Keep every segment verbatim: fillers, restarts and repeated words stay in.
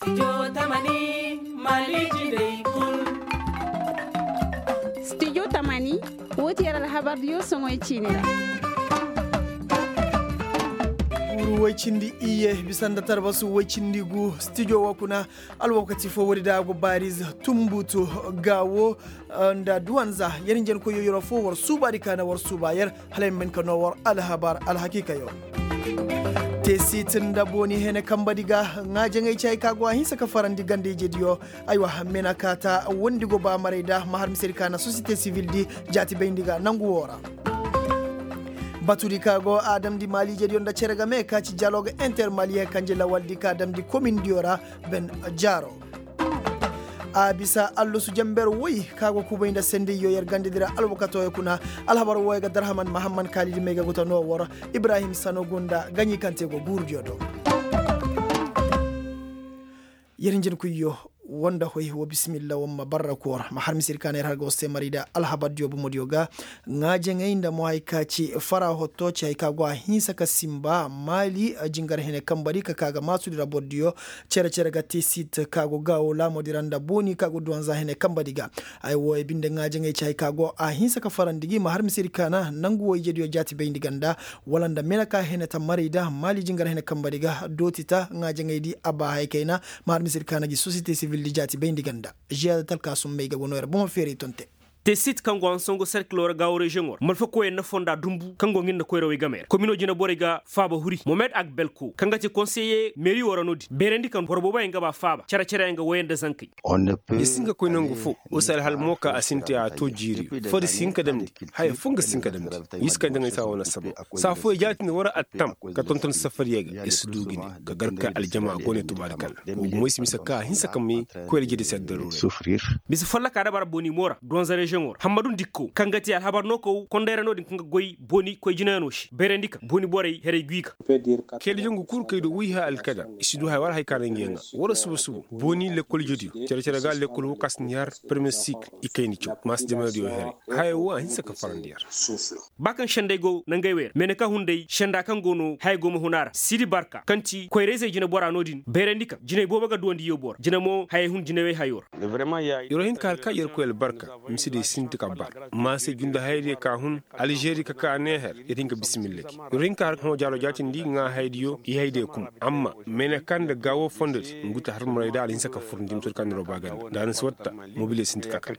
Studio tamani, woo ti yer alhabar diyo soŋoy ciini ra. Guuru woy cindi iyye bisa nda tarbasu woy cindi gu studio woo kuna. Alwakati foo woodi da a go baariz, tumbutu, gaawo, nda duwanza yer hinjankoyyo yeroo foo war suubaadi ka na war suuba yer. Hala ay ma hin ka noo war alhabar alhakiikayo. Teesit nda booni hene kambadi ga ŋaajaŋey ci hay ka go a hinsa ka farandi ganda ijediyo. Aywa, mena kaata wondi go ba maray da ma har misedi ka na sosiyete sivildi jaati bayndi ga nangu woo ra. Batudi ka go a damndi maali ijediyo nda cere game ka ci dialoog inter maali hay ka nji lawaldi ka damndi komindiyo ra. Ben jaaro. A bisa allusu jamber woy ka go kubay nda sendiyyo yer gandadi ra alwakatooyo kuna. Alhabar wooyo ga darhaman mahamman kaalidi may ga guta noo war ibrahim sano gunda gaɲi kaŋ te go guurudiyo do. Yer hinjinkuyyo woo nda hoy woo bisimilla woo ma barra koor ma har misir ka na yer har ga war se marayda alhabardiyo bomodiyo ga. Ŋaajaŋey nda mo hay ka ci fara hotto ci hay ka go a hinsa ka simba maali jingar hene kambadi ka ka ga maasudi ra bordiyo. Cere-cere ga te sit ka go gaawo laamodi ra nda booni ka go duwanza hene kambadi ga. Ay wooyo binde ŋaajaŋey ci hay ka go a hinsa ka farandi gi ma har misedi ka na nangu woo ijediyo jaati bayndi ganda. Wala nda mena ka hene ta maray da maali jingar hene kambadi ga dooti ta ŋaajaŋey di a ba hay kayna. Ma har misedi ka na gi sosiyete sibil di jaati bayndi ganda. Ziyaada talkaasum may ga go noo yer bomo feeray tonte. Te sit kaŋ go hansango serkiloo ra gaawo reziyoŋo ra malfa koyey na fonda dumbu kaŋ go nga nda koyrawey game ra komino jineborey ga faaba huri momed agbelko kaŋ ga te konseye meeri woo ra no-din beerandi kaŋ boro booboyaŋ ga ba faaba cere-cereyaŋ ga woyey nda zankey. Ni si hin ka koy nangu fo. Woo se alhal mo ka a sinti a too jiiriyo foo di si hin ka damndi. Haya foo nga si hin ka damndi. Wi si kay nda nga ay saa wane sabo saa fooyaŋ jaati nda war attam ka tonton safariyaŋ ga ir si du ga ne ka gar ka aljama go ne tubaari kalla. Wa gumo ay si mise ka a hinsa ka may koy aljadi si addaru ra. Mise follokaa da bara booni mo ra donza reziyoŋo ra hammadu ndikko kaŋ ga te alhabar nookow konday ra no-din kaŋ ga goy booni koy jinayanoo se bayrandi kaŋ booni borey heray gwi ga. Keelijaŋ ga kuru kay do woy haya alkadar i si du haya war haya ka na nga yaŋ ga war suba suba booni lekkol ijediyo cere-cere ga lekkol woo ka si ni har permiyer sikil i kayna caw maasi jamanadiyo heray. Haya woo a hinsa ka farandi yer. Ba kaŋ sendey go nangey wey ra meeneka hunday senda kaŋ go no haya go ma hun a ra siidi barka kaŋ ti koyra-izey jineboraa no-din bayrandi kaŋ jiney boobo ga duwandi yooboo ra jine mo hayey hun jinewey hayoo ra. Yer woo hin ka har ka yer koy albarka. Mise diyo sinti ka bar maasey junda hayadiyo ka hun alžeri ka ka neeher. Yer hin ka bisimilla gi yer woo hin ka har ka hõ jaalo jaatindi ŋaa hayadiyo i hayadiyo kuma amma meeneka nda gaawo fondodi ngu ti har maray da alhinsa ka furndi mise woo di kaŋ na yer woo baagandi nda a na si watta. Mobiliyo sinti ka ka.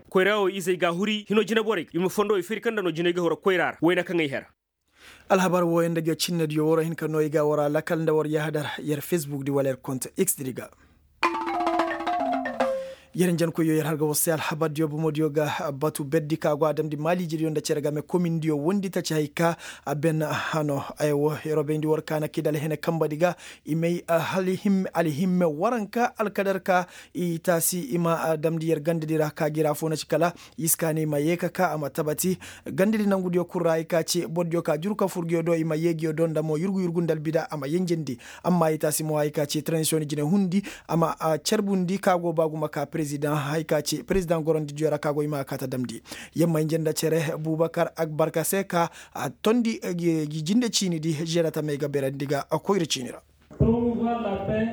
Koyra woo izey ga a huri hino jineborey i ma fondo i firi kaŋ nda no jiney ga huru koyra ra wayna kaŋ ay hera. Alhabar wooyaŋ nda ga cinnediyo war hin ka noo i ga war a lakal nda war yahadar yer fesbuk di wala yer kont x di ga. Yer njankoyyo yer har ga war se alhabardiyo bomodiyo ga batu berdi ka go a damndi maaliijediyo nda cere game komindiyo wondi taci hay ka a ben hano. Ay wo yer wo bayndi war ka na kidal hene kambadi ga i may alhimme waranka alkadar ka i taasi i ma damndi yer gandadi ra ka gi ra foo na ci kala. Iska ne i ma yee ka ka a ma tabati gandadi nangudiyo kul ra hay ka ci bordiyo ka juru ka fur nguyo do i ma yee nguyo do nda mo yurgu yurgu nda albida a ma yenjendi. Amma i taasi mo hay ka ci tranzisiyoŋ jine hundi a ma carbundi ka go ba gumo ka perezidaŋ hay ka ci perezidaŋ gorondidiyo ra ka go i ma a kaata damndi. Yamma hinja nda cere bubakar agbarka se ka a tondi gi jinde ciini di žerata may ga berandi ga koyra ciini ra.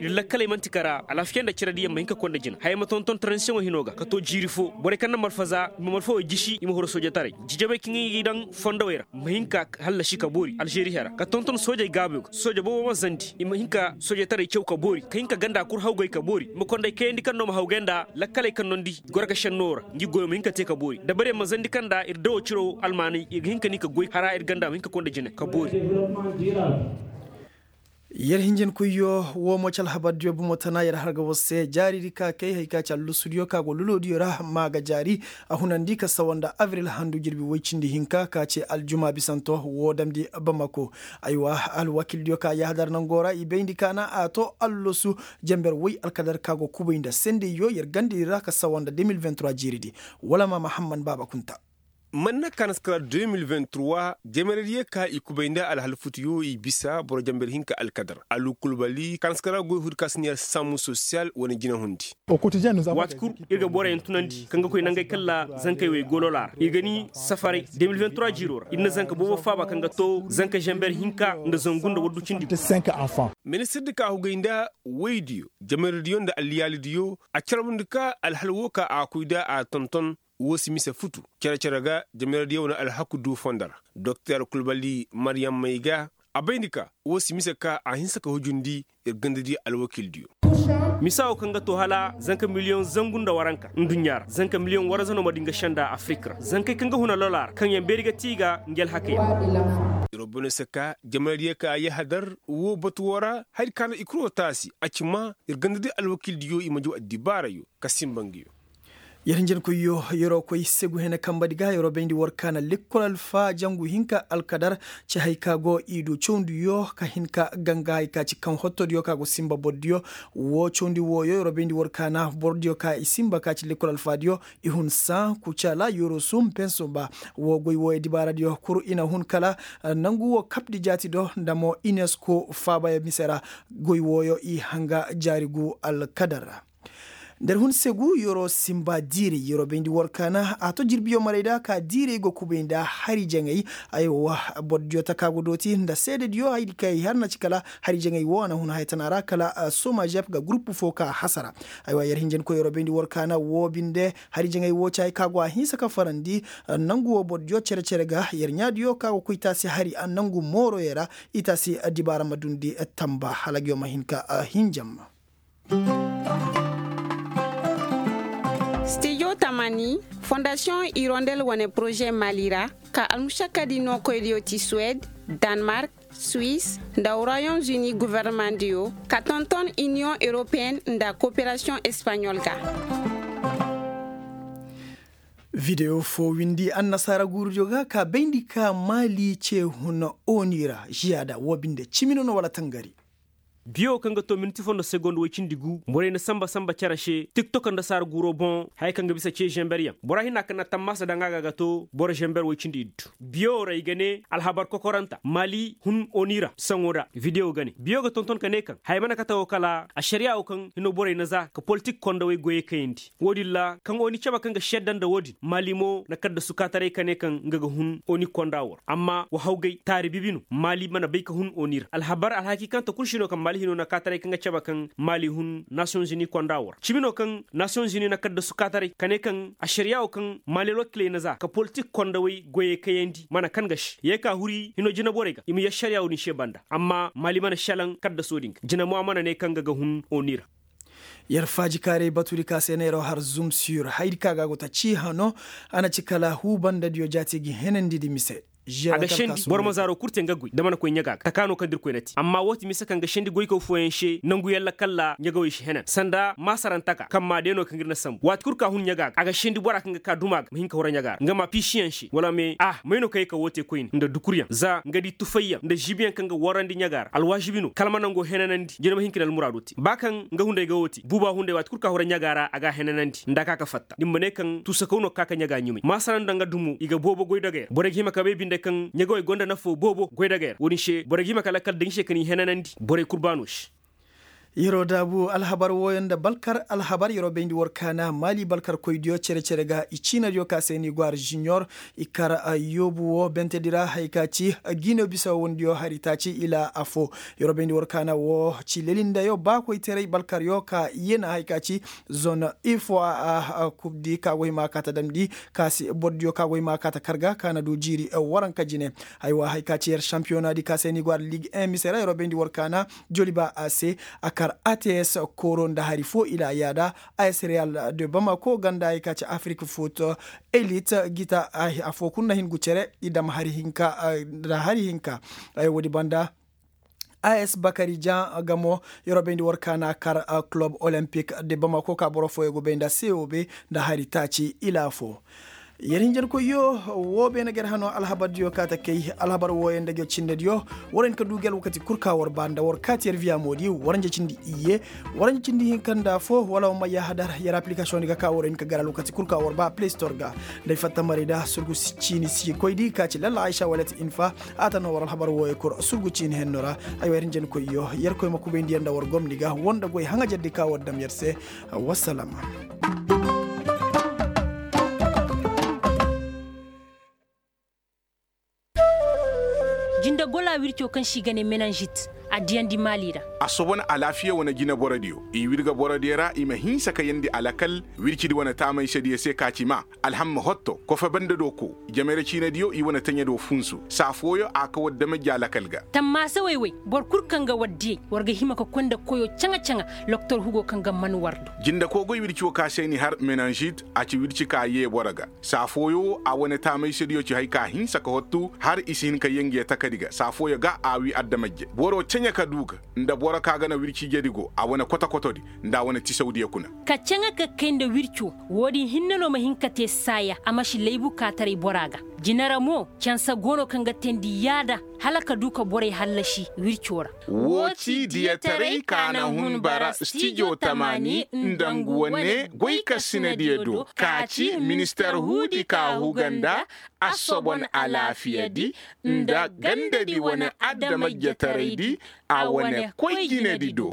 Ir lakkaley man'ti kara alaafiya nda cere diyaŋ ma hin ka konda jina hayey ma tonton taransiyoŋo hino ga ka to jiiri fo borey kaŋ na malfaza i ma malfawey jisi i ma huru soojataray jijabey kaŋ i daŋ fondowey ra ma hin ka hallasi ka boori alžeri hera ka tonton soojey gaabuyo ga sooja boobo ma zandi i ma hin ka soojataray caw ka boori ka hin ka ganda kul hawgay ka boori i ma konday kayandi kaŋ no ma hawgay nda lakkaley kaŋ no nda i goro ga šennoo ra ngi goyo ma hin ka te ka boori dabarey ma zandi kaŋ nda ir dawo ciro almaanay ir ga hin ka ni ka goy hara ir ganda ma hin ka konda jina ka boori. Yer hinjinkoyyo woo mo ci alhabardiyo bumo tana yer har ga war se jaaridi ka kay hay ka ci allusudiyo ka go lulodiyo ra ma ga jaari. A hunandi ka sawa nda abril handu jirbi woy cindi hinka ka ci aljuma bisanto woo damndi bamako. Aywa alwakildiyo ka yahadar nangoo ra i bayndi ka na a to allusu jenber woy alkadar ka go kubay nda sendeyyo yer gandedi ra ka sawa nda deux mille vingt trois jiiridi. Wala ma mahamman baaba kunta. Manna kanaskara deux mille vingt trois, jameradiyo ka i kubay nda alhal futuyo i bisa boro jamber hinka alkadar alu kulbali kanaskara goy hudi ka si ne sammu sosiyal wane jinahundi. Waati kul ir ga boroyaŋ tunandi kaŋ ga koy nangey kalla zankey wey gololaa ra i ga ni safaray deux mille vingt trois jiiro ra ir na zanka boobo faaba kaŋ ga to zanka jamber hinka nda zangu nda waddu cindi. Ministir di ka hugay nda woydiyo jameradiyo nda alliyaalidiyo a carbundi ka alhal wo ka a koy da a tonton. Wo si mise futu cere-cere ga jameradiyo wane alhaku du fondo ra. Doktor kulbali maryam may ga a bayndi ka wo si mise ka a hinsa ka hujundi ir gandadi alwakiildiyo. Misa wo kaŋ ga to hala zanka miliyoŋ zangu nda waranka nduɲɲa ra zanka miliyoŋ warza no ma di nga senda afirik ra zankey kaŋ ga huna lola ra kaŋ yaŋ beeri ga ti ga ngi alhakey ra. Ir wo bone se ka jameradiyo ka a yahadar wo batu wo ra hari ka no i kuro taasi a ci ma ir gandadi alwakiildiyo i ma jaw addibaarayo ka simba ngiyo. Yer hinjankoyyo, yer'o koy segu hene kambadi ga yer'o bayndi war kaana lekkol alfa jangu hinka alkadar. Ci hay ka go i du cawndiyo ka hin ka ganga hay ka ci kaŋ hottodiyo ka go simba bordiyo. Wo cawndi wooyo yer'o bayndi war kaana bordiyo ka i simba ka ci lekkol alfadiyo. I hun san kucala yer'o sum penso ba. Wo goy wooyo dibaaradiyo kuru i na hun kala nangu wo kapdi jaati do nda mo inesko faabaya mise ra. Goy wooyo i hanga jaari gu alkadar ra. Nda ir hun segu yer'o simba diiray yer'o bayndi war kaana a to jirbiyo marayda ka diiray go kubay nda hari jaŋay. Aywa bordiyo taka go dooti nda seedediyo haydi kay har na ci kala hari jaŋay wo a na hun haya tana ra kala somajep ga gurupu fo ka hasara. Aywa yer hinjankoy yer'o bayndi war kaana wo binde hari jaŋay wo ci hay ka go a hinsa ka farandi. Nangu wo bordiyo cere-cere ga yer ɲaadiyo ka go koy taasi hari nangu mooroyo ra i taasi dibaara ma dundi tamba hala nga yo ma hin ka hinjam. Stijo tamani fondasiyoŋ irondel wane poroze mali ra ka almušakkadi nookoydiyo ti suwed, danmark, swis, nda royom zuni governemandiyo ka tonton iniyoŋ europeyen nda koperasiyoŋ espaɲol ga. Videwo fo windi annasaara guurudiyo ga ka bayndi ka mali ce huna oni ra žiyada wo binde cimino no wala tangari. Biyo kaŋ ga to miniti fo nda segond woy cindi gu borey na samba samba cere se tiktok nda saara guuro boŋ haya kaŋ ga bisa ce žemberyaŋ bora hinna kaŋ na tammaasa daŋ a ga ga to boro žember woy cindi iddu. Biyo ra i ga ne alhabar kokoranta mali hun oni ra saŋo ra videwo ga ne biyo ga tonton ka ne kaŋ haya mana kate wo kala ašariya wo kaŋ hino borey na za ka politik kondawey goyey kayandi. Wo-din ra kaŋ oni cabe kaŋ ga šedda nda wo-din mali mo na kaddasu kaataray ka ne kaŋ nga ga hun oni konda wo ra amma wa hawgay taari bibi no mali mana bay ka hun oni ra alhabar alhakiikanta kul si no kaŋ mali hino na kaataray kaŋ ga cabe kaŋ mali hun nasiyoŋ zuni konda wo ra cimi no kaŋ nasiyoŋ zuni na kaddasu kaataray ka ne kaŋ ašariya wo kaŋ mali alwakiley na za ka politik kondawey goyey kayandi mana kan ga se ye ka huri hino jinaborey ga i ma yee ašariya wo-din se banda amma mali mana šelaŋ kaddaso din ga jina mo a mana ne kaŋ nga ga hun oni ra. Yer faajikaaray batudi ka se neeroo har zum sur haydi ka ga go ta cii hano. A na ci kala huu bandadiyo jaati gi henandi di mise. A ga sendi boro ma zaaro kul te nga goy nda mana koy ɲaga ga taka no kaŋ da irkoy na te amma woo ti mise kaŋ ga sendi goykaw fooyaŋ se nangu yalla kalla ɲagawey si henan sanda maasarantaka kaŋ maa day no kaŋ ir na sambu waati kul ka hun ɲaga ga a ga sendi bora kaŋ ga ka duma ga ma hin ka hura ɲaga ra nga ma piisiyaŋ se wala me ah may no kaŋ ye ka woo te koyne nda dukuryaŋ za nga di tufayyaŋ nda žibiyaŋ kaŋ ga warandi ɲaga ra alwaažibi no kala ma nangoo henanandi jina ma hin ka ni almuraado te ba kaŋ nga hunday ga woo te buuba hunday waati kul ka hura ɲaga ra a ga a henanandi nda a ka ka fatta da ni ma ne kaŋ tuusakaw no ka ka ɲaga ɲumay maasara nda nga dumo i ga boobo goydogey ra borey ga hima ka bay binde kaŋ ɲagawey gonda nafo boobo goydogey ra wo-din se borey ga hima ka lakkal daŋ i se ka ni henanandi borey kul baano se. Yeroo daabu alhabar wooyo nda balkar alhabar yeroo bayndi war kaana maali balkarkoydiyo cere-cere ga i ciinadiyo ka se ni gwaar žuniyor i kar yoobu woo bentedi ra haya ka ci giino bisa wondiyo hari taaci ila affoo. Yeroo bayndi war kaana woo ci lelindayo baakoyteray balkaryo ka yena haya ka ci zon ifo a kubdi ka go hima ka ta damndi ka si bordiyo ka go hima ka ta kar ga ka na du jiiri waranka jine. Aywa haya ka ci yer šampiyonadi ka se ni gwaar lig un mise ra yeroo bayndi war kaana joliba a se a kar ats kooro nda hari foo ila yaada. As real de bamako ganda ay ka ci afrik foot elit gita afoo kul na hin gu cere i dam hari hinka. Nda hari hinka ay woodi banda as bakari jan gamo yeroo bayndi war kaana kar kulob olimpik de bamako ka boro fooyo go bay nda cob nda hari taaci ila afoo. Yer hinjankoyyo, woo beene ga yer hanoo alhabardiyo kaa ta kay. Alhabar wooyo nda ngi cinnediyo, war hin ka duu gi alwakati kul ka war ba nda war kaati yer viya moodi waranja cindi iyye. Waranja cindi hinka nda foo wala war ma yaahadar yer aplikasiyoŋ di ga ka war hin ka gar alwakati kul ka war ba play store ga. Nda ay fatta maray da surgu ciini si koydi ka ci lalla aysa wala ti infa. A ta noo war alhabar wooyo kul surgu ciini henno ra. Aywa yer hinjankoyyo, yerkoy ma kubayndi yer nda war gomni ga war nda goy haŋajerdi ka war dam yer se. Wassalam. Jinde gola wirco kaŋ se i ga ne menanžit, a diyandi maali ra. A soban alaafiya wane jine borodiyo i wirga borodiyo ra i ma hinsa ka yeendi alakal. Wircidi wane taamaysediyo se ka ci maa alhamma hotto kofe banda do koo, jamayra ciinediyo i wane taɲa do funsu saa fooyo a kaw addamajji alakal ga. Tammaasa woy-woy, boro kul kaŋ ga war diyey war ga hima ka koy nda koyo caŋa-caŋa. Loktor hugo kaŋ ga man war do. Jinde koogoy wirci wo ka se ni har menanžit a ci wirci ka yee boro ga. Saa fooyo wo a wane taamaysediyo ci hay ka hinsa ka hottu har i si hin ka yee ngi ye takadi ga saa fooyo ga a wii addamajje boro caɲa ka duu ga. Nda boro ka ga na wirci ijedi go a wane koto-kotodi nda a wane tisawdiyo kuna. Ka caŋa ka kay nda wirco, woodin hinne no ma hin ka tee saaya a ma si laybu kaataray bora ga. Jine ra mo, cansa go no kaŋ ga teendi yaada hala ka duu ka borey hallasi wirco ra. Woo ci diyataray ka na hun bara stijo tamaani nda ngu wane goykasinadiyo do ka ci minister huudi ka huga nda assobon alaafiyadi nda gandadi wane adamajjataraydi a wane koy jinedi do.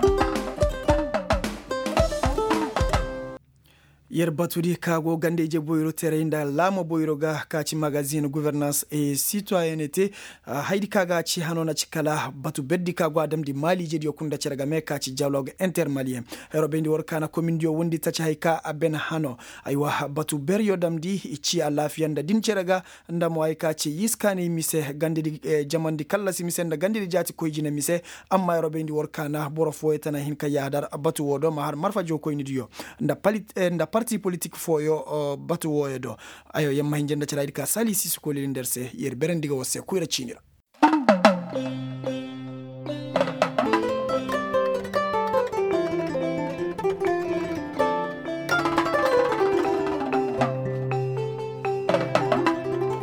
Yer batudi ka go ganda-ije boyro teray nda laama boyro ga ka ci magazin guvernans e sitoyenete. Haydi ka ga ci hano na ci kala batu berdi ka go a damndi maali ijediyo kul nda cere game ka ci dialog intermaliyen. Hayro bayndi war kaana komindiyo wondi taci hay ka a ben hano. Aywa batu beryo damndi i ci alaafiya nda din cere ga. Nda mo ay ka ci yiskaanay mise gandidi jamandi kallasi mise nda gandidi jaati koy jine mise. Amma yeroo bayndi war kaana boro fooyo tana hin ka yaadar batu woo do ma har marfa jookoynidiyo nda parti politik fooyo batu wooyo do. Ayo yer ma hinja nda cere ay di ka sali sisi kolili nda yer se yer berandi ga war se koyra ciini ra.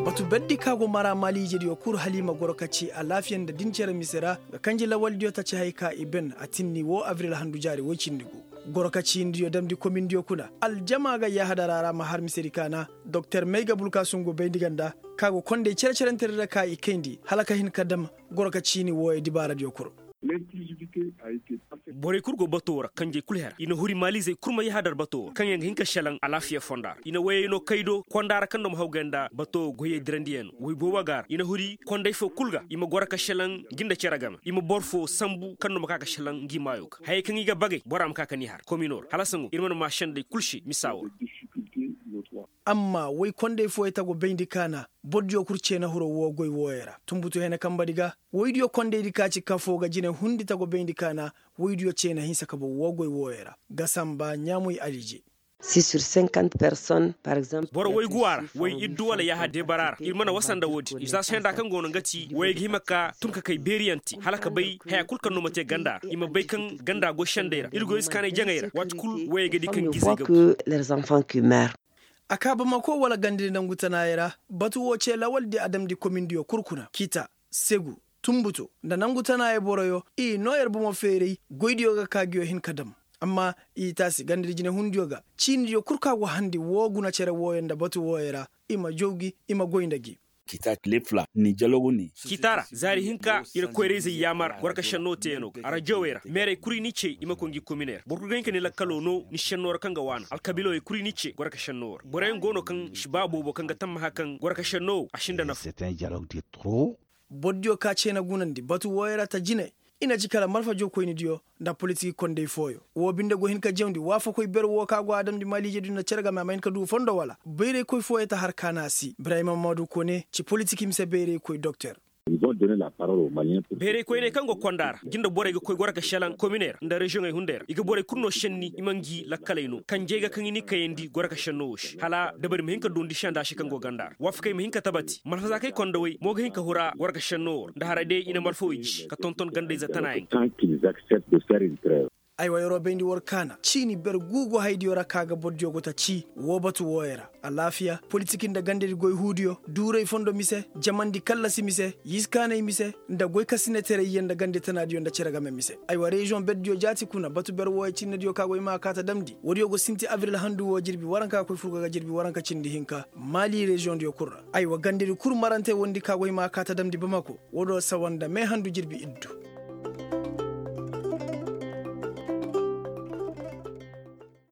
Batu berdi ka go mara maaliijediyo kul hala i ma goro ka ci alaafiya nda din cere mise ra. Ga kanji lawaldiyo taci hay ka i ben a tinni woo abril handu jaari woy cindi gu. Goro ka ciinidiyo damndi komindiyo kuna aljama ga yaahadara ra ma har misedi kaana. Doktor mayga bulkasungu bayndi ganda ka go kondey cere-cerentedi ra ka i kayndi hala ka hin ka dam goro ka ciini wooyey dibaaradiyo kul. Borey kul go bato ra kanjey kul hera i na huri maalizey kul ma yahadar bato ra kaŋ yaŋ ga hin ka šelaŋ alaafiya fonda ra i na woyey no kay do konda ra kaŋ no ma hawgay nda bato goyey dirandiyaŋ no woy boobo ga ra i na huri konday fo kul ga i ma goro ka šelaŋ ngi nda cere game i ma boro fo sambu kaŋ no ma ka ga šelaŋ ngi maayo ga hayey kaŋ i ga bagay bora ma ka ka ni har komino ra hala saŋo ir mana ma šenday kul se misa wo ra. Amma woy kondey fooyey ta go bayndi kaana bordiyo kul ceena hiro woo goy wooyey ra tumbutu hene kambadi ga. Woydiyo kondaydi ka ci kafoo ga jine hundi ta go bayndi kaana. Woydiyo ceena hinsa ka bow woo goy wooyey ra ga samba ɲaamuy alije. Boro woy guwa ra woy iddu wala yaaha deebara ra ir mana wasa nda woodin ir za se nda kaŋ go no nga ti woyey ga hima ka tun ka kay beeriyaŋ te hala ka bay haya kul kaŋ no ma te ganda ra i ma bay kaŋ ganda goy sendey ra ir goy iskaanay jaŋay ra waati kul woyey ga di kaŋ gizey ga. A kaa bamako wala gandadi nangu tanaayey ra batu woo cee lawaldi a damndi komindiyo kul kuna kita segu tumbuto nda nangu tanaayey boroyo i noo yer bomo feeray goydiyo ga ka nguyo hin ka dam. Amma i taasi gandadi jinehundiyo ga ciinidiyo kul ka go handi woo guna cere wooyo nda batu wooyo ra i ma jaw gi i ma goy nda gi. Kita ra zaari hinka ir koyrayzey yaamar goro ka šennoo teeyaŋo ga arajawey ra meerey kul i n'i cee i ma koy ngi kominey ra boro kul ga hin ka ni lakkaloo noo ni šennoo ra kaŋ ga waana alkabiilawey kul i n'i cee goro ka šennoo ra boroyaŋ go no kaŋ si ba boobo kaŋ ga tammaha kaŋ goro ka šennoo woo a si nda nafa. Bordiyo ka cee na gunandi batu wooyo ra ta jine. I na ci kala marfa jookoynidiyo nda politik kondey fooyo woo binde go hin ka jawndi waafakoy ber woo ka go a damndi maaliijediyo nda cere game a ma hin ka duu fondo wala bayraykoy fooyo ta har kaana a si ibrahima maadu kone ci politik mise bayraykoy doktor. Bayraykoyney kaŋ go konda ra ngi nda borey ga koy goro ka šelaŋ kominey ra nda reziyoŋey hunday ra i ga borey kul no šenni i ma ngi lakkaley no kanjey ga kaŋ i n'i kayandi goro ka šennoo woo se hala dabari ma hin ka doondi senda se kaŋ go ganda ra waafakey ma hin ka tabati malfazaakey kondawey mo ga hin ka hura goro ka šennoo woo ra nda haray day i na malfawey ji ka tonton gandayze tanaayaŋ. Aywa yer'o bayndi war kaana ciini ber guugu haydiyo ra ka ga bordiyo go ta cii woo batu wooyo ra. Alaafiya politik nda gandedi goy huudiyo duuray fondo mise jamandi kallasi mise yiskaanay mise nda goykasinetaray yee nda gande tanaadiyo nda cere game mise. Aywa reziyoŋ berdiyo jaati kuna batu ber wooyo cinnediyo ka go hima a kaa ta damndi woodiyo go sinti abril handu woo jirbi waranka koy furgo ga jirbi waranka cindi hinka maali reziyoŋdiyo kul ra. Aywa gandedi kul marante wondi ka go hima a kaa ta damndi bamako woodiyo sawa nda mee handu jirbi iddu.